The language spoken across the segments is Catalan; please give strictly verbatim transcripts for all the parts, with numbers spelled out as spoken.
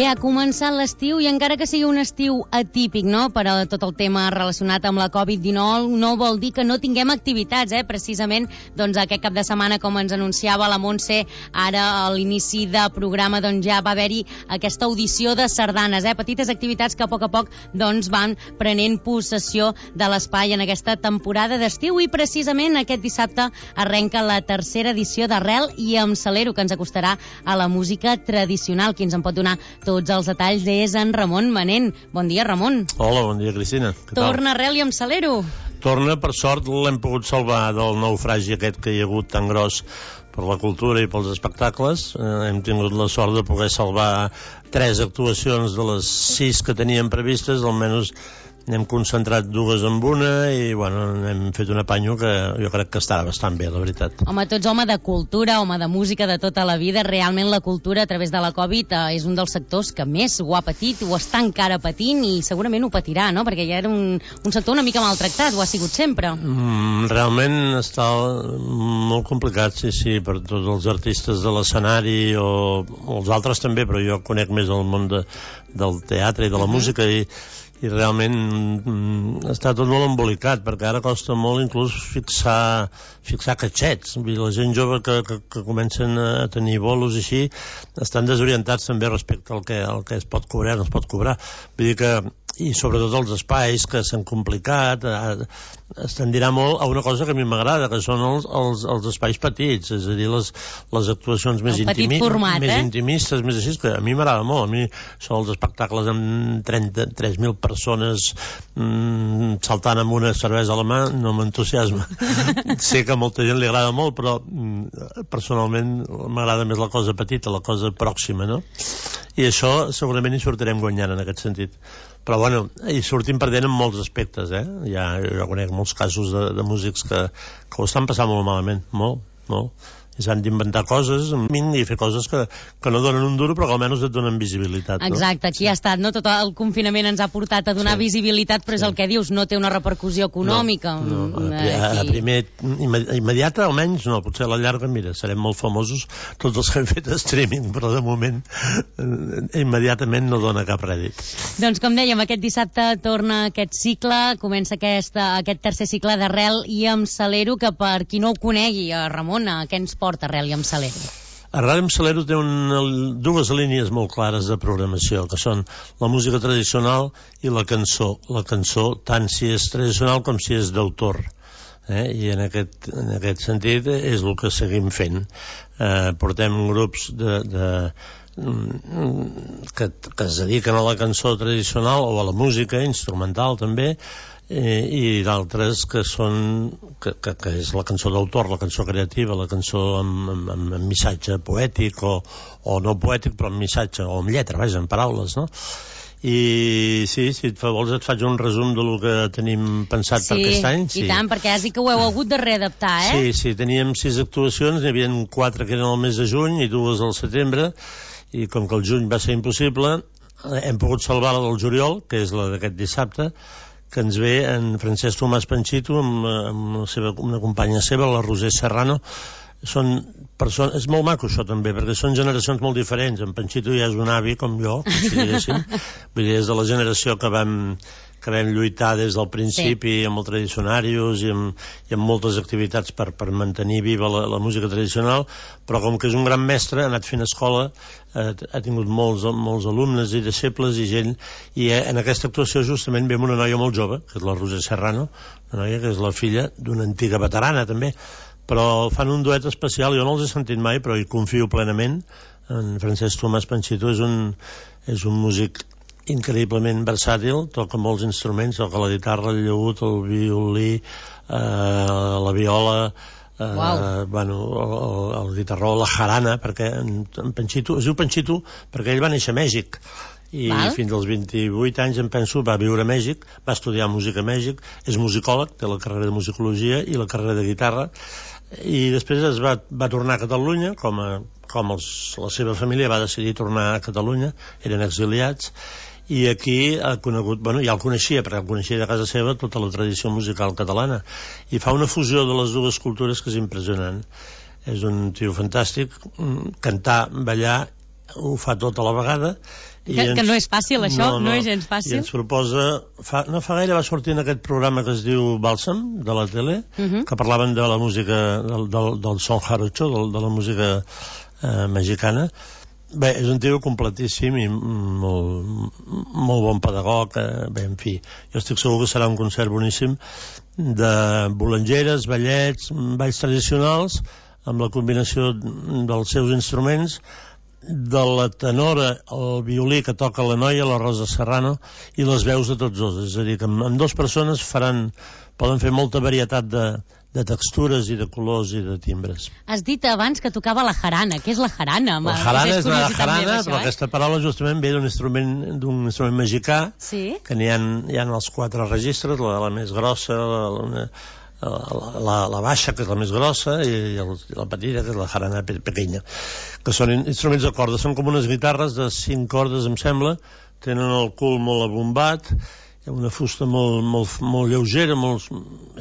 Bé, ha començat l'estiu i encara que sigui un estiu atípic, no?, per a tot el tema relacionat amb la covid dinou, no vol dir que no tinguem activitats, eh? Precisament, doncs, aquest cap de setmana, com ens anunciava la Montse, ara a l'inici de programa, doncs, ja va haver-hi aquesta audició de sardanes, eh? Petites activitats que a poc a poc, doncs, van prenent possessió de l'espai en aquesta temporada d'estiu i precisament aquest dissabte arrenca la tercera edició d'Arrel i em celero, que ens acostarà a la música tradicional. Qui ens en pot donar tots els detalls és en Ramon Manent. Bon dia, Ramon. Hola, bon dia, Cristina. Què tal? Torna Arrel i em celero. Torna, per sort, l'hem pogut salvar del naufragi aquest que hi ha hagut tan gros per la cultura i pels espectacles. Eh, hem tingut la sort de poder salvar tres actuacions de les sis que teníem previstes, almenys n'hem concentrat dues en una i, bueno, hem fet un apanyo que jo crec que estarà bastant bé, la veritat. Home, tots home de cultura, home de música de tota la vida, realment la cultura a través de la Covid eh, és un dels sectors que més ho ha patit, ho està encara patint i segurament ho patirà, no?, perquè ja era un, un sector una mica maltractat, ho ha sigut sempre. Mm, realment està molt complicat, sí, sí, per tots els artistes de l'escenari o, o els altres també, però jo conec més el món de, del teatre i de la uh-huh. música i i realment mm, està tot molt embolicat, perquè ara costa molt inclús fixar, fixar catxets. Vull dir, la gent jove que, que, que comencen a tenir bolos i així estan desorientats també respecte al que, al que es pot cobrar, no es pot cobrar. Vull dir que, i sobretot els espais que s'han complicat, eh, es tendirà molt a una cosa que a mi m'agrada, que són els, els, els espais petits, és a dir, les, les actuacions més, intimi, format, més eh? intimistes, més així, que a mi m'agrada molt. A mi són els espectacles amb trenta-tres mil persones mm, saltant amb una cervesa a la mà, no m'entusiasma. Sé que a molta gent li agrada molt, però mm, personalment m'agrada més la cosa petita, la cosa pròxima, no? I això segurament hi sortirem guanyant en aquest sentit. Però bueno, hi sortim perdent en molts aspectes, eh? Ja, jo conec molts casos de, de músics que, que ho estan passant molt malament, molt, molt. I s'han d'inventar coses i fer coses que, que no donen un duro però que almenys et donen visibilitat, no? Exacte, aquí sí. Ha estat, no? Tot el confinament ens ha portat a donar sí. visibilitat, però és sí. el que dius, no té una repercussió econòmica. No, no. A, a primer, immediata almenys no, potser a la llarga, mira, serem molt famosos tots els que hem fet streaming, però de moment immediatament no dona cap rèdit. Doncs com dèiem, aquest dissabte torna aquest cicle, comença aquesta, aquest tercer cicle d'Arrel i em celero, que per qui no ho conegui, a Ramon, què ens porta Arrel i em celero? Arrel i em celero té una, dues línies molt clares de programació, que són la música tradicional i la cançó. La cançó, tant si és tradicional com si és d'autor. Eh? I en aquest, en aquest sentit és el que seguim fent. Eh, portem grups de... de que, que es dediquen a la cançó tradicional o a la música instrumental també, eh, i d'altres que són que, que, que és la cançó d'autor, la cançó creativa, la cançó amb, amb, amb missatge poètic o, o no poètic però amb missatge o amb lletra, vaja, amb paraules, no? I sí, si et fa vols et faig un resum del que tenim pensat sí, per aquest any. Sí, i tant, perquè has dit que ho heu hagut de readaptar, eh? Sí, sí, teníem sis actuacions, n'hi havia quatre que eren al mes de juny i dues al setembre, i com que el juny va ser impossible, hem pogut salvar la del juliol, que és la d'aquest dissabte, que ens ve en Francesc Tomàs Panxito amb, amb la seva, una companya seva, la Roser Serrano. Són persones, és molt maco això també, perquè són generacions molt diferents. En Panxito ja és un avi com jo, si diguéssim. Vull dir, és de la generació que vam, que vam lluitar des del principi sí. amb el Tradicionarius i amb, i amb moltes activitats per, per mantenir viva la, la música tradicional, però com que és un gran mestre, ha anat fent escola, eh, ha tingut molts, molts alumnes i deixebles i gent, i eh, en aquesta actuació justament ve una noia molt jove, que és la Roser Serrano, una noia que és la filla d'una antiga veterana també, però fan un duet especial, jo no els he sentit mai, però hi confio plenament. En Francesc Tomàs Panxito és un, és un músic increïblement versàtil, toca molts instruments, toca la guitarra, el llaüt, el violí, eh, la viola, eh, wow. bueno, el, el guitarró, la jarana, perquè en, en Panxito, es diu Panxito perquè ell va néixer a Mèxic, i Val. fins als vint-i-vuit anys, em penso, va viure a Mèxic, va estudiar música a Mèxic, és musicòleg, té la carrera de musicologia i la carrera de guitarra, i després es va, va tornar a Catalunya, com, a, com els, la seva família va decidir tornar a Catalunya, eren exiliats, i aquí ha conegut, bueno, ja el coneixia, perquè el coneixia de casa seva tota la tradició musical catalana, i fa una fusió de les dues cultures que és impressionant. És un tio fantàstic, cantar, ballar ho fa tot a la vegada. Que, ens, que no és fàcil, això, no, no, no és gens fàcil. I ens proposa... Fa, no fa gaire va sortir en aquest programa que es diu Bàlsam, de la tele, uh -huh. que parlaven de la música, del, del, del son jarocho, de, de la música eh, mexicana. Bé, és un tio completíssim i molt, molt bon pedagog. Eh, bé, en fi, jo estic segur que serà un concert boníssim de bolangeres, ballets, balls tradicionals, amb la combinació dels seus instruments, de la tenora, el violí que toca la noia, la Rosa Serrano, i les veus de tots dos. És a dir, que amb, amb dues persones faran, poden fer molta varietat de, de textures i de colors i de timbres. Has dit abans que tocava la jarana. Què és la jarana? La jarana és la jarana, meva, això, però eh? aquesta paraula justament ve d'un instrument, d'un instrument mexicà, sí? que n'hi ha, hi ha els quatre registres, la, la més grossa, la, la, la, la, la baixa, que és la més grossa, i, i el, la petita, que és la jarana pequeña, que són instruments de corda. Són com unes guitarres de cinc cordes, em sembla, tenen el cul molt abombat, una fusta molt, molt, molt lleugera, molt...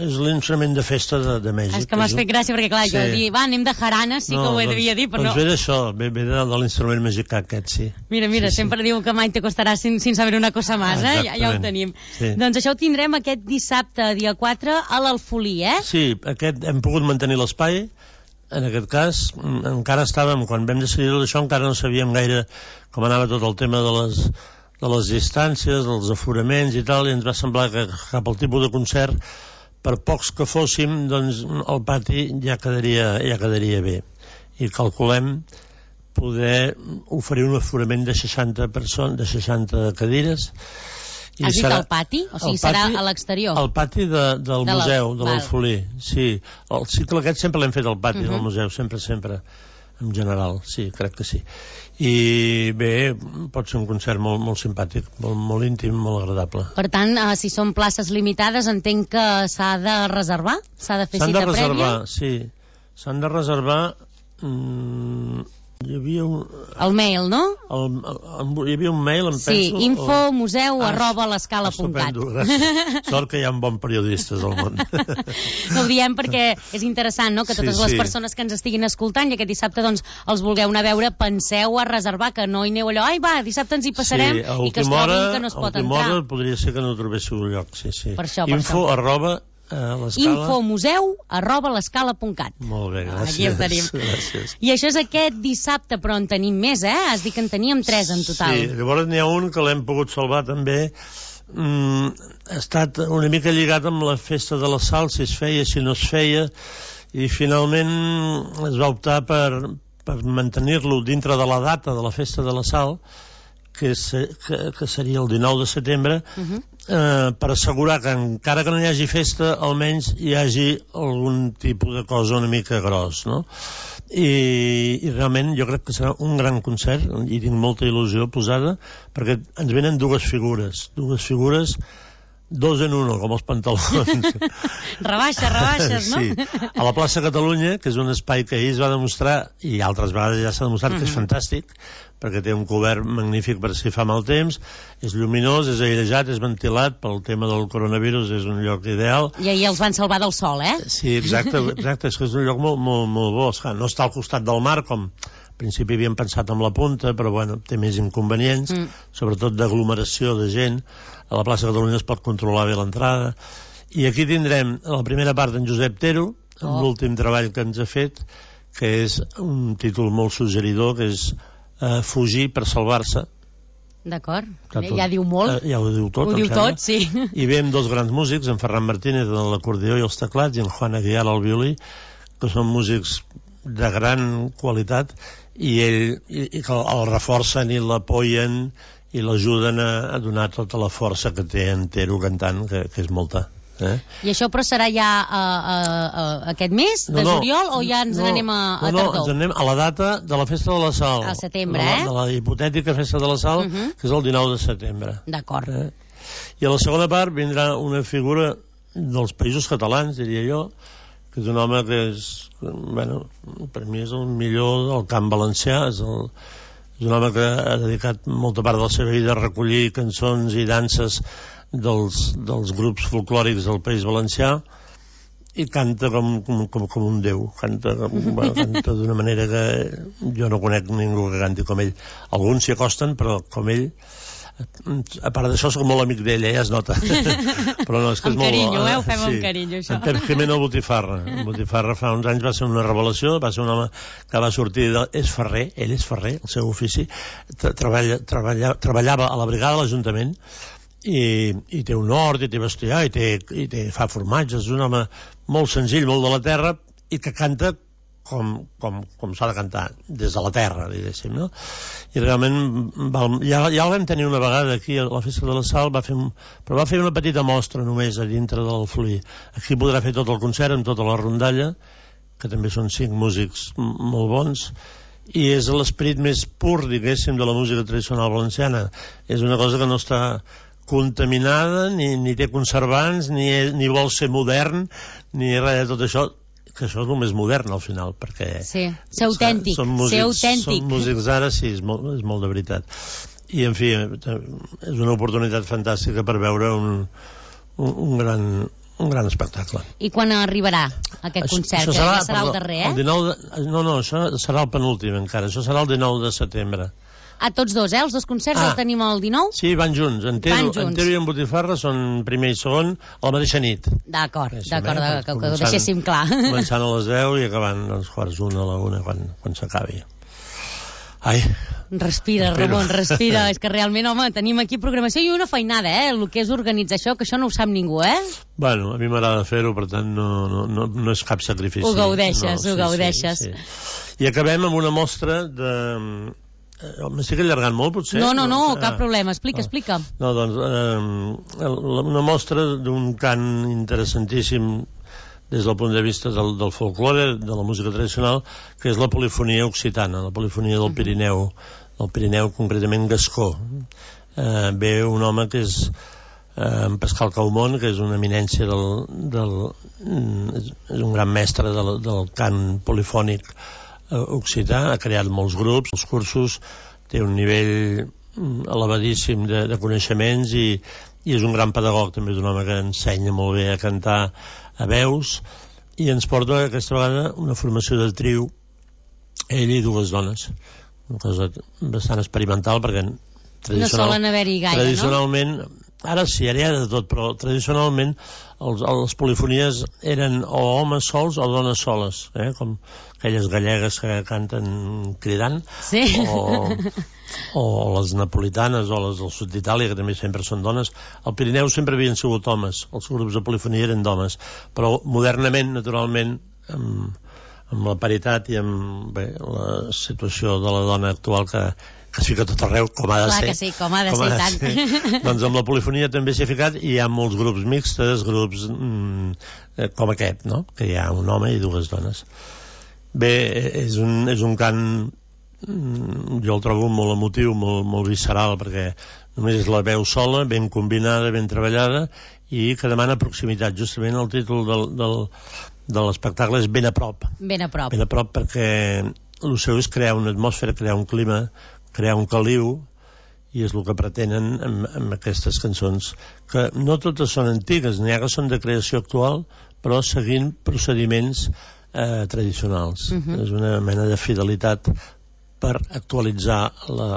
és l'instrument de festa de, de Mèxic. És que m'has fet gràcia, perquè clar, sí. jo dir, va, anem de jarana, sí no, que ho he doncs, devia dir, però doncs no. Doncs ve d'això, ve, ve de, de l'instrument mexicà aquest, sí. Mira, mira, sí, sempre sí. diu que mai te costarà sin, sin saber una cosa más, eh? Ja, ja ho tenim. Sí. Doncs això ho tindrem aquest dissabte, dia quatre, a l'Alfolí, eh? Sí, aquest hem pogut mantenir l'espai. En aquest cas, encara estàvem, quan vam decidir això, encara no sabíem gaire com anava tot el tema de les, de les distàncies, dels aforaments i tal, i ens va semblar que cap al tipus de concert, per pocs que fóssim, doncs el pati ja quedaria, ja quedaria bé. I calculem poder oferir un aforament de seixanta persones, de seixanta cadires. I Has dit serà, el pati? O sigui, pati, serà a l'exterior? El pati de, del de museu, de l'Alfolí. Sí, el cicle aquest sempre l'hem fet al pati uh -huh. del museu, sempre, sempre, en general, sí, crec que sí. I bé, pot ser un concert molt, molt simpàtic, molt, molt íntim, molt agradable. Per tant, eh, si són places limitades, entenc que s'ha de reservar? S'ha de fer cita prèvia? S'han de reservar, sí. S'han de reservar... Mmm, hi havia un... El mail, no? El, el, hi havia un mail, em sí, penso... Sí, info museu ah, arroba l'escala punt cat. Gràcies. Sort que hi ha bons periodistes al món. No ho diem perquè és interessant, no?, que totes sí, les sí. persones que ens estiguin escoltant i aquest dissabte, doncs, els vulgueu anar a veure, penseu a reservar, que no hi aneu allò, ai, va, dissabte ens hi passarem, sí, i que es trobin que no es pot entrar. A última hora podria ser que no trobéssiu un lloc, sí, sí. Per això, per info això. arroba Uh, infomuseu arroba l'escala punt cat. Molt bé, gràcies. Aquí el tenim. Gràcies. I això és aquest dissabte, però en tenim més, eh? Has dit que en teníem tres en total. Sí, llavors n'hi ha un que l'hem pogut salvar també. Mm, ha estat una mica lligat amb la festa de la Sal, si es feia, si no es feia, i finalment es va optar per, per mantenir-lo dintre de la data de la festa de la Sal, que, se, que, que seria el dinou de setembre, uh-huh. eh, per assegurar que encara que no hi hagi festa, almenys hi hagi algun tipus de cosa una mica gros, no? I, i realment jo crec que serà un gran concert, i tinc molta il·lusió posada, perquè ens venen dues figures, dues figures dos en uno, com els pantalons. Rebaixa, rebaixes, no? Sí. A la plaça Catalunya, que és un espai que ahir es va demostrar, i altres vegades ja s'ha demostrat uh-huh. que és fantàstic, perquè té un cobert magnífic per si fa mal temps, és lluminós, és airejat, és ventilat, pel tema del coronavirus és un lloc ideal. I ahir els van salvar del sol, eh? Sí, exacte, exacte, és que és un lloc molt, molt, molt bo. No està al costat del mar, com al principi havíem pensat amb la punta, però bueno, té més inconvenients, mm. sobretot d'aglomeració de gent. A la plaça Catalunya es pot controlar bé l'entrada. I aquí tindrem la primera part d'en Josep Tero, amb oh. l'últim treball que ens ha fet, que és un títol molt suggeridor, que és Uh, fugir per salvar-se. D'acord, ja diu molt. Uh, ja ho diu tot, ho diu tot, sí. I ve amb dos grans músics, en Ferran Martínez de l'acordió i els teclats, i en Juan Aguiar al violí, que són músics de gran qualitat, i ell i, i que el reforcen i l'apoyen i l'ajuden a, a donar tota la força que té en Tero cantant, que, que és molta. Eh? I això però serà ja uh, uh, uh, aquest mes de no, no, juliol o ja ens no, n'anem a, a no, tardor? No, ens anem a la data de la festa de la Sal. Al setembre, de la, eh? De la hipotètica festa de la Sal, uh -huh. que és el dinou de setembre. D'acord. Eh? I a la segona part vindrà una figura dels països catalans, diria jo, que és un home que és, bueno, per mi és el millor del camp valencià, és, el, és un home que ha dedicat molta part de la seva vida a recollir cançons i danses dels, dels grups folclòrics del País Valencià, i canta com, com, com, com un déu, canta, bueno, canta d'una manera que jo no conec ningú que canti com ell. Alguns s'hi acosten, però com ell, a part d'això soc molt amic d'ella, ja es nota. Però no, és que és amb molt carinyo, bo. eh? Ho fem Sí. amb carinyo, això. En Pep Jimeno Botifarra. Botifarra fa uns anys va ser una revelació, va ser un home que va sortir de... és ferrer, ell és ferrer, el seu ofici, treballa, treballa, treballava a la brigada de l'Ajuntament, I, i té un hort, i té bestiar, i, té, i té, fa formatges, és un home molt senzill, molt de la terra, i que canta com, com, com s'ha de cantar, des de la terra, diguéssim, no? I realment, val, ja, ja el vam tenir una vegada aquí a la Festa de la Sal, va fer un, però va fer una petita mostra només a dintre del Fluir. Aquí podrà fer tot el concert amb tota la rondalla, que també són cinc músics molt bons, i és l'esperit més pur, diguéssim, de la música tradicional valenciana. És una cosa que no està contaminada, ni, ni té conservants, ni, ni vol ser modern, ni res de tot això, que això és el més modern al final, perquè... Sí, ser autèntic, són músics, ser autèntic. Són músics d'ara, sí, és molt, és molt de veritat. I, en fi, és una oportunitat fantàstica per veure un, un, un gran... un gran espectacle. I quan arribarà aquest això, concert? Això serà, serà, que serà perdó, el darrer, eh? El dinou de, no, no, això serà el penúltim encara. Això serà el dinou de setembre. A tots dos, eh? Els dos concerts ah. els tenim el dinou? Sí, van junts. Entero, Entero i en Botifarra són primer i segon a la mateixa nit. D'acord, d'acord, eh? que, que ho deixéssim clar. Començant a les deu i acabant als quarts una a la una quan, quan s'acabi. Ai... Respira, Respiro. Ramon, respira. És que realment, home, tenim aquí programació i una feinada, eh? El que és organitzar això, que això no ho sap ningú, eh? Bueno, a mi m'agrada fer-ho, per tant, no, no, no, no és cap sacrifici. Ho gaudeixes, no, ho sí, gaudeixes. Sí, sí. I acabem amb una mostra de... M'estic allargant molt, potser? No, no, no, ah, cap problema. Explica, ah. explica. No, doncs, eh, una mostra d'un cant interessantíssim des del punt de vista del, del folklore, de la música tradicional, que és la polifonia occitana, la polifonia del Pirineu, del Pirineu concretament gascó. Eh, ve un home que és eh, en Pascal Caumont, que és una eminència del, del, és un gran mestre del, del cant polifònic eh, occità, ha creat molts grups, els cursos, té un nivell elevadíssim de, de coneixements i, i és un gran pedagog, també és un home que ensenya molt bé a cantar a veus, i ens porta aquesta vegada una formació de trio, ell i dues dones, una cosa bastant experimental perquè no solen haver-hi gaire, tradicionalment, no? Ara sí, ara hi ha de tot, però tradicionalment els, les polifonies eren o homes sols o dones soles, eh? Com aquelles gallegues que canten cridant, sí. o, o les napolitanes o les del sud d'Itàlia, que també sempre són dones. Al Pirineu sempre havien sigut homes, els grups de polifonia eren d'homes, però modernament, naturalment, amb, amb la paritat i amb bé, la situació de la dona actual que que es fica tot arreu, com ha de Clar ser. Que sí, com ha de com ser, ha de tant. Ser. Doncs amb la polifonia també s'hi ha ficat i hi ha molts grups mixtes, grups mm, com aquest, no? Que hi ha un home i dues dones. Bé, és un, és un cant, mm, jo el trobo molt emotiu, molt, molt visceral, perquè només és la veu sola, ben combinada, ben treballada, i que demana proximitat. Justament el títol del, del, de l'espectacle és Ben a prop. Ben a prop. Ben a prop perquè el seu és crear una atmosfera, crear un clima, crear un caliu, i és el que pretenen amb, amb aquestes cançons, que no totes són antigues, n'hi ha que són de creació actual, però seguint procediments eh, tradicionals. Uh-huh. És una mena de fidelitat per actualitzar la,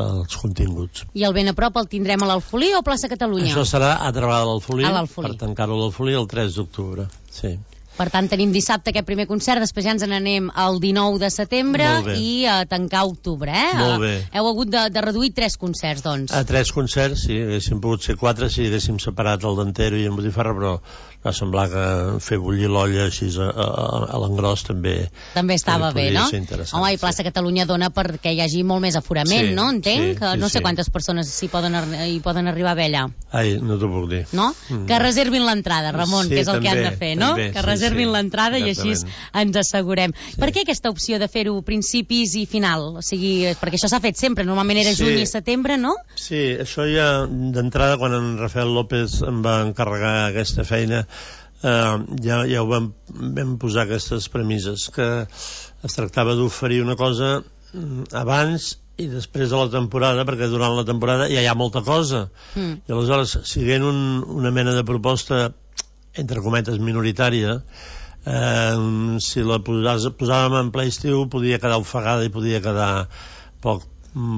els continguts. I el Ben a prop el tindrem a l'Alfolí o a Plaça Catalunya? Això serà a Travada de l'Alfolí, per tancar-ho a l'Alfolí el tres d'octubre. Sí. Per tant, tenim dissabte aquest primer concert, després ja ens n'anem el dinou de setembre i a tancar octubre, eh? Molt bé. Heu hagut de, de reduir tres concerts, doncs. A tres concerts, sí, haguéssim pogut ser quatre si haguéssim separat el d'Antero i en Botifarra, però va semblar que fer bullir l'olla així a, a, a l'engròs també... També estava bé, no? Home, i Plaça sí. Catalunya dona perquè hi hagi molt més aforament, sí, no? Entenc? Sí, que no sí, sé sí. quantes persones hi poden, hi poden arribar a haver allà. Ai, no t'ho puc dir. No? Mm. Que reservin l'entrada, Ramon, sí, que és el també, que han de fer, no? També, que reservin sí, sí. l'entrada i així ens assegurem. Sí. Per què aquesta opció de fer-ho principis i final? O sigui, perquè això s'ha fet sempre, normalment era sí. juny i setembre, no? Sí, això ja d'entrada, quan en Rafael López em va encarregar aquesta feina, eh, ja, ja ho vam, vam posar aquestes premisses, que es tractava d'oferir una cosa abans i després de la temporada, perquè durant la temporada ja hi ha molta cosa. Mm. I aleshores, siguent un, una mena de proposta entre cometes, minoritària, eh, si la posàs, posàvem en ple estiu podia quedar ofegada i podia quedar poc,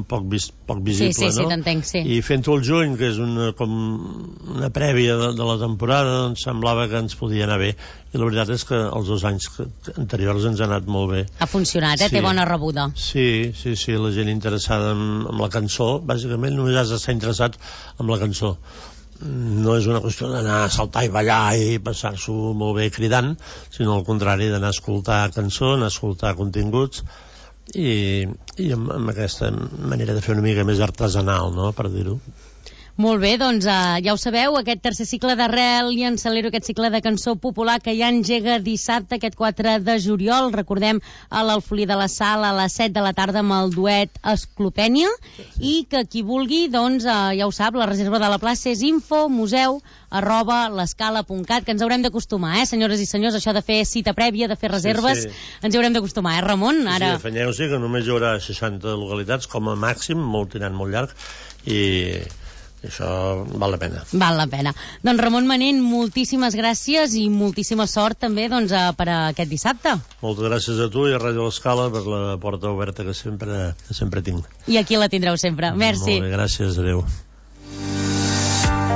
poc, vis, poc visible, sí, sí, no? Sí, t'entenc, sí. I fent-ho al juny, que és una, com una prèvia de, de la temporada, doncs semblava que ens podia anar bé. I la veritat és que els dos anys anteriors ens ha anat molt bé. Ha funcionat, eh? Sí. Té bona rebuda. Sí, sí, sí, la gent interessada en, en la cançó, bàsicament només has d'estar interessat en la cançó. No és una qüestió d'anar a saltar i ballar i passar-s'ho molt bé cridant, sinó al contrari, d'anar a escoltar cançó, anar a escoltar continguts, i, i amb, amb aquesta manera de fer una mica més artesanal, no?, per dir-ho. Molt bé, doncs uh, ja ho sabeu, aquest tercer cicle d'Arrel i Encelero, aquest cicle de cançó popular que ja engega dissabte, aquest quatre de juliol, recordem, a l'Alfolí de la Sal a les set de la tarda amb el duet Esclopènia, i que qui vulgui, doncs uh, ja ho sap, la reserva de la plaça és info museu arroba l'escala punt cat, que ens haurem d'acostumar, eh, senyores i senyors, això de fer cita prèvia, de fer reserves, sí, sí. Ens hi haurem d'acostumar, eh, Ramon? Ara... Sí, afanyeu-s'hi que només hi haurà seixanta localitats com a màxim, molt tirant molt llarg, i això val la pena. Val la pena. Doncs Ramon Manent, moltíssimes gràcies i moltíssima sort també doncs, per a aquest dissabte. Moltes gràcies a tu i a Ràdio L'Escala per la porta oberta que sempre, que sempre tinc. I aquí la tindreu sempre. Merci. Molt bé, gràcies, adeu.